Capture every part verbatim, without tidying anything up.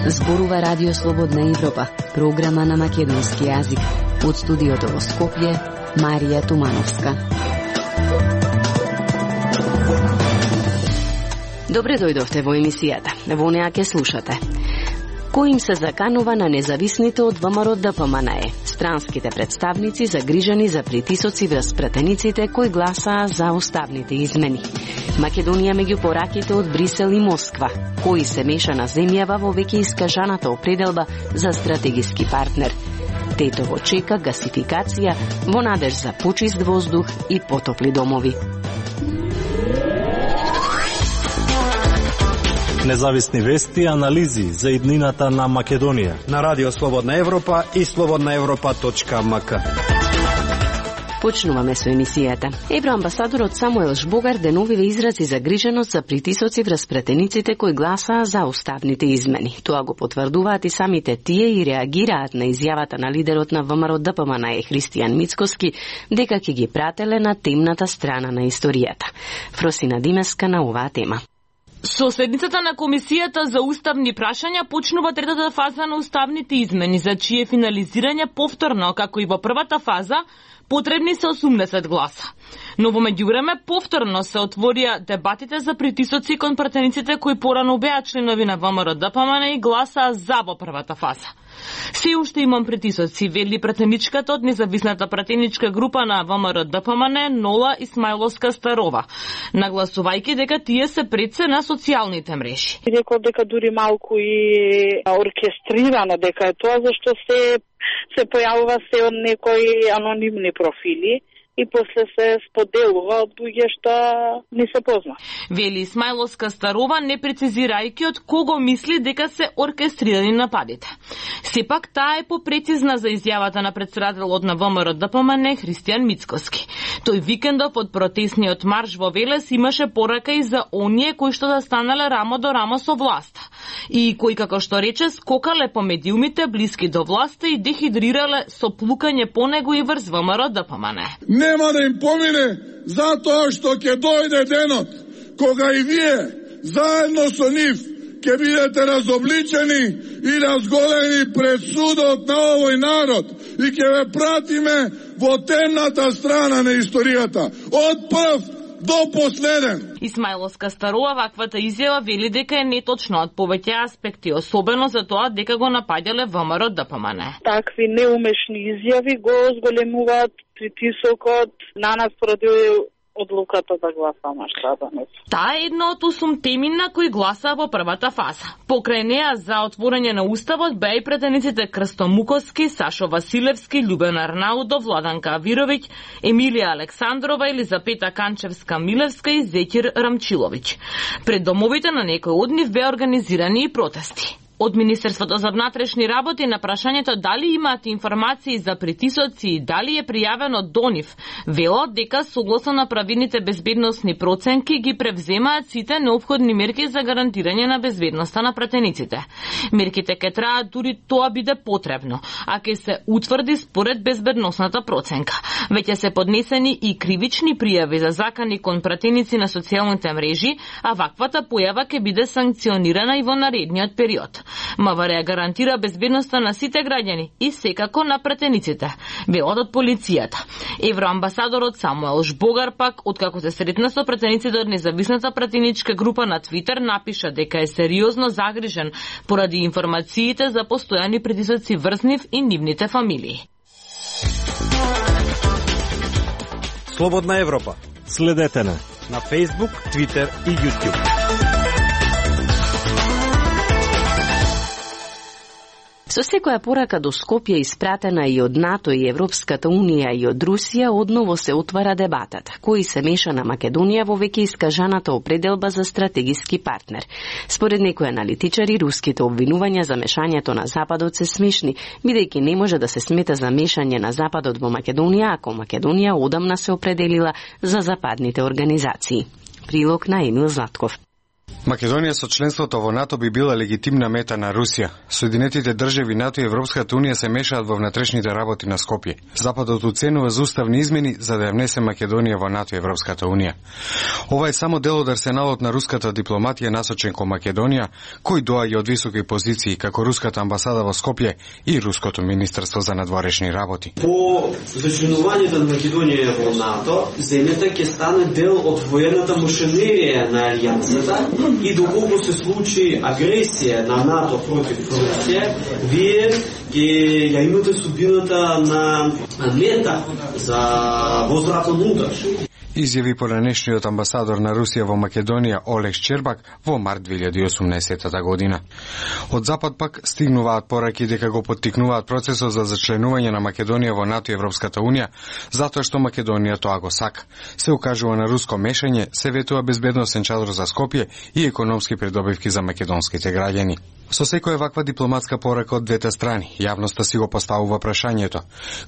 Зборува Радио Слободна Европа, програма на македонски јазик. Од студиото во Скопје, Марија Тумановска. Добре дојдовте во емисијата. Во неа ќе слушате. Кој им се заканува на независните од ВМРО Д П М Н Е? Странските представници загрижени за притисоци врз пратениците кои гласаа за уставните измени. Македонија меѓу пораките од Брисел и Москва. Кои се меша на земјава во веќе искажаната определба за стратегиски партнер. Тетово чека гасификација во надеж за почист воздух и потопли домови. Независни вести и анализи за иднината на Македонија на Радио Слободна Европа и слободна европа точка м к. Почнуваме со емисијата. Евроамбасадорот Самуел Жбогар деновиве изрази загриженост за притисоци врз пратениците кои гласаа за уставните измени. Тоа го потврдуваат и самите тие и реагираат на изјавата на лидерот на ВМРО Д П М Н Е Христијан Мицкоски дека ќе ги прателе на темната страна на историјата. Фросина Димеска на оваа тема. Со седницата на Комисијата за уставни прашања почнува третата фаза на уставните измени, за чие финализирање повторно, како и во првата фаза, потребни се осумдесет гласа. Но во меѓувреме повторно се отворија дебатите за притисоци кон пратениците кои порано беа членови на ВМРО Д П М Н И и гласаа за во првата фаза. Се уште имам притисоци, вели пратеничката од независната пратеничка група на ВМРО Д П М Н Нола Исмајловска-Старова, нагласувајќи дека тие се предсе на социјалните мрежи. Рекол дека дури малку и оркестрирано дека е тоа, зашто се се појавува се од некои анонимни профили и после се споделува од луѓе што не се позна. Вели Исмајловска-Старова, не прецизирајќи од кого мисли дека се оркестрирани нападите. Сепак таа е попрецизна за изјавата на претседателот на ВМРО Д П М Н Христијан Мицкоски. Тој викендов од протесниот марш во Велес имаше порака и за оние кои што застанале рамо до рамо со власта и кои, како што рече, скокале по медиумите блиски до власта и дехидрирале со плукање по него и врз ВМРО Д П М Н. Нема да им помине затоа што ќе дојде денот кога и вие заедно со нив ќе бидете разобличени и разголени пред судот на овој народ и ќе ве пратиме во темната страна на историјата од прв до последен. Исмајловска-Старова ваквата изјава вели дека е неточна од повеќе аспекти, особено за тоа дека го напаѓале ВМРО Д П М Н. Такви неумешни изјави го зголемуваат притисокот на нас поради одлуката да гласаме што данес. Таа е една од осум теми на кои гласаа во првата фаза. Покрај неа за отворање на уставот беа и претениците Крсто Муковски, Сашо Василевски, Љубен Арнаудов, Владанка Авировиќ, Емилија Александрова, Елизапета Канчевска-Милевска и Зекир Рамчиловиќ. Пред домовите на некои од нив беа организирани и протести. Од Министерството за внатрешни работи на прашањето дали имаат информации за притисоци и дали е пријавено до нив, велат дека согласно на правилните безбедносни проценки ги превземаат сите неопходни мерки за гарантирање на безбедноста на пратениците. Мерките ќе траат дури тоа биде потребно, а ќе се утврди според безбедносната проценка. Веќе се поднесени и кривични пријави за закани кон пратеници на социјалните мрежи, а ваквата појава ќе биде санкционирана и во наредниот период. МВР гарантира безбедноста на сите граѓани и секако на пратениците, велат од полицијата. Евроамбасадорот Самуел Жбогар пак, откако се сретна со пратениците од независната пратеничка група на Твитер, напиша дека е сериозно загрижен поради информациите за постојани притисоци врз нив и нивните фамилии. Слободна Европа. Следете на на Facebook, Twitter и YouTube. Со секоја порака до Скопје испратена и од НАТО и Европската Унија и од Русија, одново се отвара дебатата, кој се меша на Македонија во веќе искажаната определба за стратегиски партнер. Според некои аналитичари, руските обвинувања за мешањето на Западот се смешни, бидејќи не може да се смета за мешање на Западот во Македонија, ако Македонија одамна се определила за западните организации. Прилог на Емил Златков. Македонија со членството во НАТО би била легитимна мета на Русија. Соединетите држави НАТО и Европската унија се мешаат во внатрешните работи на Скопје. Западот уценува за уставни измени за да ја внесе Македонија во НАТО и Европската унија. Ова е само дел од арсеналот на руската дипломатија насочен кон Македонија, кој доаѓа од високи позиции како руската амбасада во Скопје и руското министерство за надворешни работи. По зачленувањето на Македонија во НАТО, земјата ќе стане дел од воената машинерија на алијансата. И доколку се случи агресија на НАТО против Русија, вие ќе ја имате судбината на мета за возврат внутре. Изјави поранешниот амбасадор на Русија во Македонија Олег Щербак во март две илјади и осумнаесета година. Од Запад пак стигнуваат пораки дека го поттикнуваат процесот за зачленување на Македонија во НАТО и Европската унија, затоа што Македонија тоа го сака. Се укажува на руско мешање, се ветува безбедносен чадор за Скопје и економски придобивки за македонските граѓани. Со секоја ваква дипломатска порака од двете страни, јавноста си го поставува прашањето: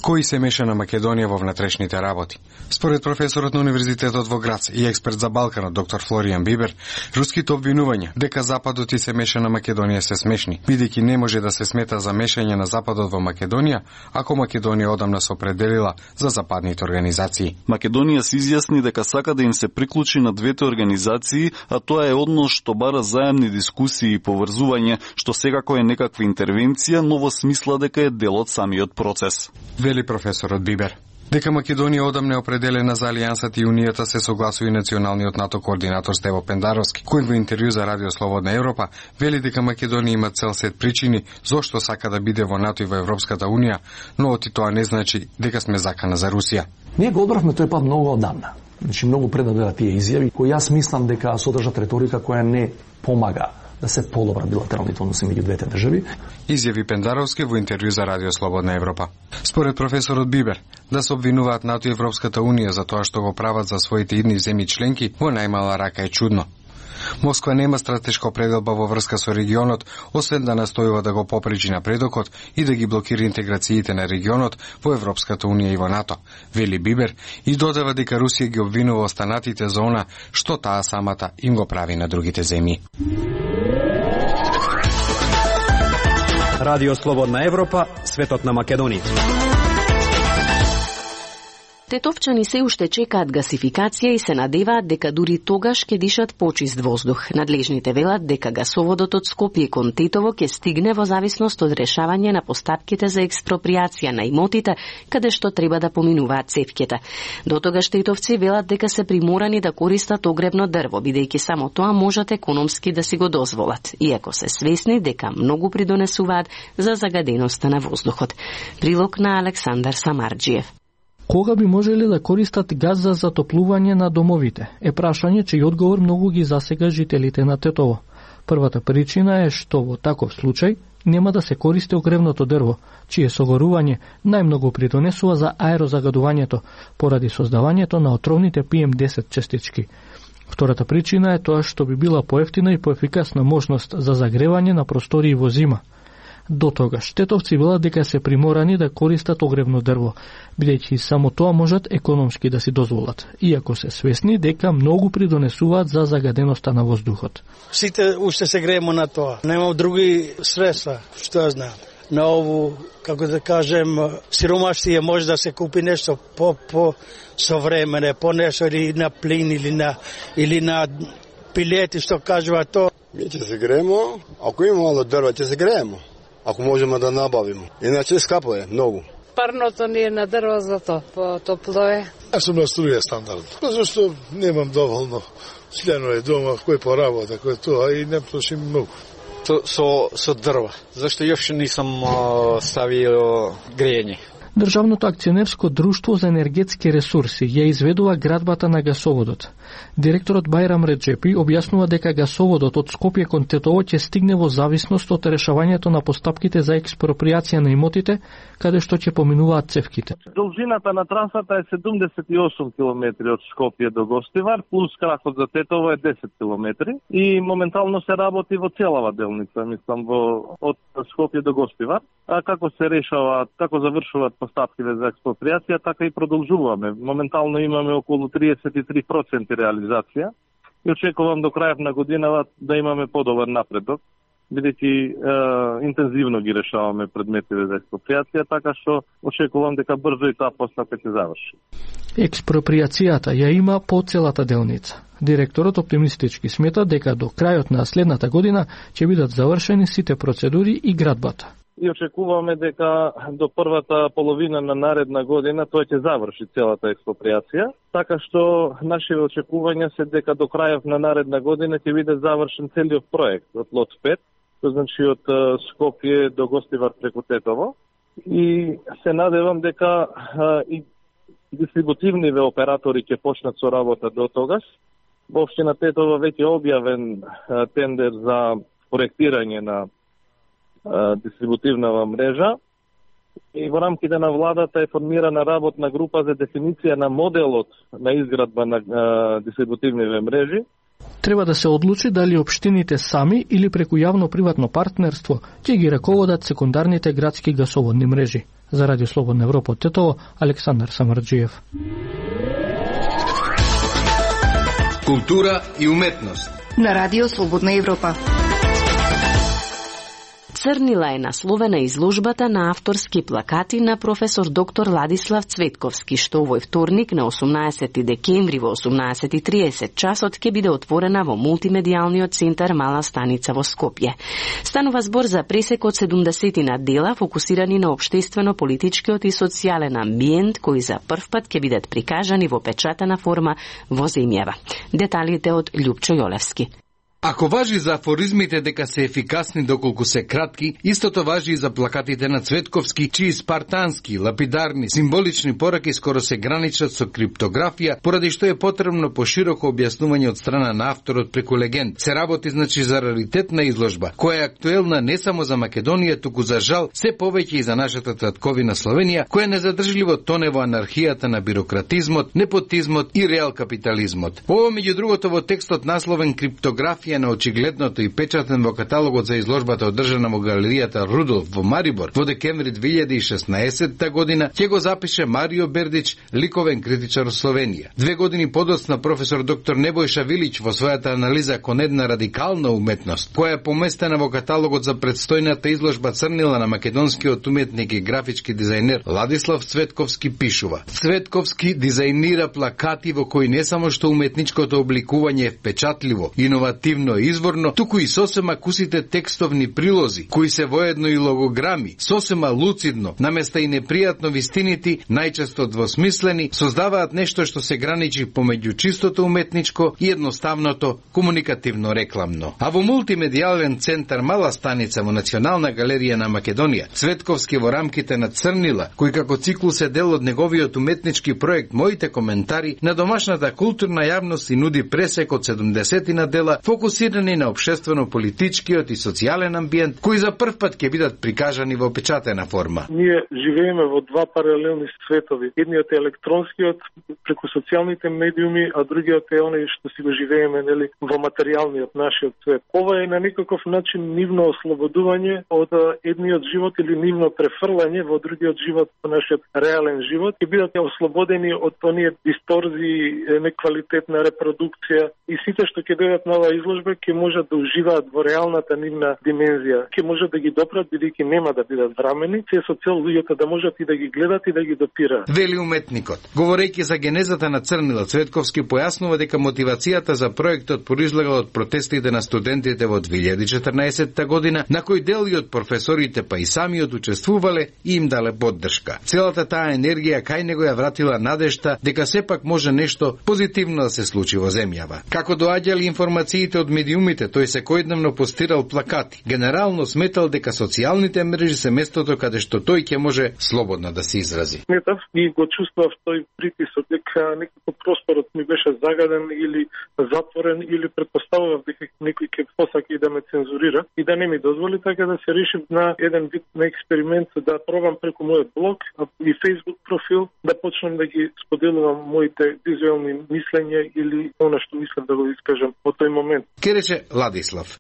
кој се меша на Македонија во внатрешните работи? Според професорот на Универзитетот во Грац и експерт за Балканот доктор Флоријан Бибер, руските обвинувања дека Западот и се меша на Македонија се смешни, бидејќи не може да се смета за мешање на Западот во Македонија, ако Македонија одамна се определила за западните организации. Македонија се изјасни дека сака да им се приклучи на двете организации, а тоа е однос што бара заемни дискусии и поврзување, што секако е некаква интервенција, но во смисла дека е дел од самиот процес. Вели професорот Бибер. Дека Македонија одамна е определена за Алијансата и Унијата се согласува и националниот НАТО координатор Стево Пендаровски, кој во интервју за Радио Слободна Европа вели дека Македонија има цел сет причини зошто сака да биде во НАТО и во Европската унија, но оти тоа не значи дека сме закана за Русија. Ние го одбравме тој пат многу одамна. Значи многу пред да бидат тие изјави, кои јас мислам дека содржат реторика која не помага да се подобра билатералните односи меѓу двете држави. Изјави Пендаровски во интервју за Радио Слободна Европа. Според професорот Бибер, да се обвинуваат НАТО и Европската унија за тоа што го прават за своите идни земји членки, во најмала рака е чудно. Москва нема стратешка определба во врска со регионот, освен да настојува да го попречи напредокот и да ги блокира интеграциите на регионот во Европската унија и во НАТО, вели Бибер, и додава дека Русија ги обвинува останатите за она што таа самата им го прави на другите земји. Радио Слободна Европа, светот на Македонија. Тетовчани се уште чекаат гасификација и се надеваат дека дури тогаш ќе дишат почист воздух. Надлежните велат дека гасоводот од Скопје кон Тетово ќе стигне во зависност од решавање на постапките за експроприација на имотите, каде што треба да поминуваат цевките. До тогаш тетовци велат дека се приморани да користат огребно дрво, бидејќи само тоа можат економски да си го дозволат, иако се свесни дека многу придонесуваат за загаденоста на воздухот. Прилог на Александар Самарџиев. Кога би можеле да користат газ за затоплување на домовите? Е прашање чиј одговор многу ги засега жителите на Тетово. Првата причина е што во таков случај нема да се користи огревното дрво, чие согорување најмногу придонесува за аерозагадувањето поради создавањето на отровните пи ем десет частички. Втората причина е тоа што би била поевтина и поефикасна можност за загревање на простории во зима. До тогаш тетовци велат дека се приморани да користат огревно дрво, бидејќи само тоа можат економски да си дозволат, иако се свесни дека многу придонесуваат за загаденоста на воздухот. Сите уште се греемо на тоа. Нема други средства, што ја знам. На ову, како да кажем, сиромаштија може да се купи нешто по по современе, по нешто или на плин или на или на пилети, што кажува тоа. Ние ќе се греемо, ако има мало дрва, ќе се греемо. Ако можеме да набавиме. Иначе скапо е, многу. Парното ни е на дрво, зато по-топло е. Јас сум на струја стандард. Зашто немам доволно членови дома, кој поработа, кој тоа, и не трошим многу. Со, со, со дрва, зашто још не сум ставил грејење. Државното акционерско друштво за енергетски ресурси ја изведува градбата на гасоводот. Директорот Бајрам Реджепи објаснува дека гасоводот од Скопје кон Тетово ќе стигне во зависност од решавањето на постапките за експроприација на имотите, каде што ќе поминуваат цевките. Должината на трасата е седумдесет и осум километри од Скопје до Гостивар, плюс кракот за Тетово е десет километри и моментално се работи во целава делница, мислам, во од Скопје до Гостивар. А како се решава, како завршуваат постапките за експроприација, така и продолжуваме. Моментално имаме околу триесет и три проценти реализација и очекувам до крајот на годината да имаме подобар напредок, бидејќи интензивно ги решаваме предметите за експроприација, така што очекувам дека брзо и таа постапка ќе заврши. Експроприацијата ја има по целата делница. Директорот оптимистички смета дека до крајот на следната година ќе бидат завршени сите процедури и градбата. И очекуваме дека до првата половина на наредна година тој ќе заврши целата експроприација, така што нашите очекувања се дека до крајот на наредна година ќе биде завршен целиот проект од лот пет, тоа значи од Скопје до Гостивар преку Тетово, и се надевам дека и дистрибутивниве оператори ќе почнат со работа до тогаш. Во општина Тетово веќе објавен тендер за проектирање на дистрибутивнава мрежа и во рамките на владата е формирана работна група за дефиниција на моделот на изградба на дистрибутивниве мрежи. Треба да се одлучи дали општините сами или преку јавно-приватно партнерство ќе ги раководат секундарните градски гасоводни мрежи. За Радио Слободна Европа од Тетово, Александар Самарџиев. Култура и уметност на Радио Слободна Европа. Црнила е насловена изложбата на авторски плакати на професор доктор Ладислав Цветковски, што овој вторник на осумнаесети декември во осумнаесет и триесет часот ќе биде отворена во мултимедијалниот центар Мала станица во Скопје. Станува збор за пресек од седумдесетина дела фокусирани на општествено-политичкиот и социјален амбиент, кои за прв пат ќе бидат прикажани во печатена форма во земјава. Деталите од Љупчо Јолевски. Ако важи за афоризмите дека се ефикасни доколку се кратки, истото важи и за плакатите на Цветковски, чии спартански, лапидарни, символични пораки скоро се граничат со криптографија, поради што е потребно пошироко објаснување од страна на авторот преку легенд. Се работи значи за раритетна изложба, која е актуелна не само за Македонија, туку за жал се повеќе и за нашата татковина Словенија, која незадржливо тоне во анархијата на бирократизмот, непотизмот и реал капитализмот. Ова меѓу другото во текстот насловен криптографија на очигледното и печатен во каталогот за изложбата одржана во галеријата Рудолф во Марибор во декември две илјади и шеснаесетта година ќе го запише Марио Бердич, ликовен критичар од Словенија. Две години подоцна професор доктор Небојша Вилич во својата анализа кон една радикална уметност, која е поместена во каталогот за предстојната изложба Црнила на македонскиот уметник и графички дизајнер Ладислав Цветковски пишува: Цветковски дизајнира плакати во кои не само што уметничкото обликување е впечатливо, иновативно и изворно, туку и сосема кусите текстовни прилози, кои се воедно и логограми, сосема луцидно, наместа и непријатно вистинити, најчесто двосмислени, создаваат нешто што се граничи помеѓу чистото уметничко и едноставното комуникативно рекламно. А во мултимедијален центар Мала станица во Национална галерија на Македонија, Цветковски во рамките на Црнила, кој како циклус е дел од неговиот уметнички проект Моите коментари, на домашната културна јавност и нуди пресек од седумдесетина дела фокусирани на општествено-политичкиот и социјален амбиент, кои за прв пат ќе бидат прикажани во печатена форма. Ние живееме во два паралелни светови. Едниот е електронскиот преку социјалните медиуми, а другиот е оној што си го живееме, нели, во материјалниот нашиот свет. Ова е на некаков начин нивно ослободување од едниот живот или нивно префрлање во другиот живот, во нашиот реален живот, и бидат ослободени од оние дисторзии, неквалитетна репродукција и сите што ќе дојдат на оваа изложба ќе можат да уживаат во реалната нивна димензија. Ќе можат да ги допрат бидејќи нема да бидат врамени, се со цел луѓето да можат и да ги гледат и да ги допираат. Вели уметникот. Говорејќи за генезата на Црнила, Цветковски појаснува дека мотивацијата за проектот произлегла од протестите на студентите во две илјади и четрнаесетта година, на кој дел и од професорите па и самиот учествувале и им дале поддршка. Целата таа енергија кај него ја вратила надежта дека сепак може нешто позитивно да се случи во земјава. Како доаѓали информациите од медиумите, тој секојдневно постирал плакати. Генерално сметал дека социјалните мрежи се местото каде што тој ќе може слободно да се изрази. Сметав и го чувствував тој притисок дека некако просторот ми беше загаден или затворен, или предпоставував дека некој ќе посака и да ме цензурира и да не ми дозволи, така да се решив на еден вид на експеримент да пробам преку мојот блог и Facebook профил да почнам да ги споделувам моите визуелни мислења или она што мислам да го искажам во тој момент. Ке рече Ладислав.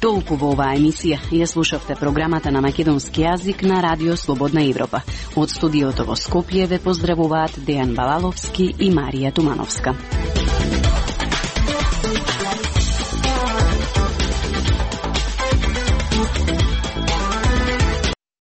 Толку во оваа емисија. Ја слушавте програмата на македонски јазик на Радио Слободна Европа. Од студиото во Скопје ве поздравуваат Дејан Балаловски и Марија Тумановска.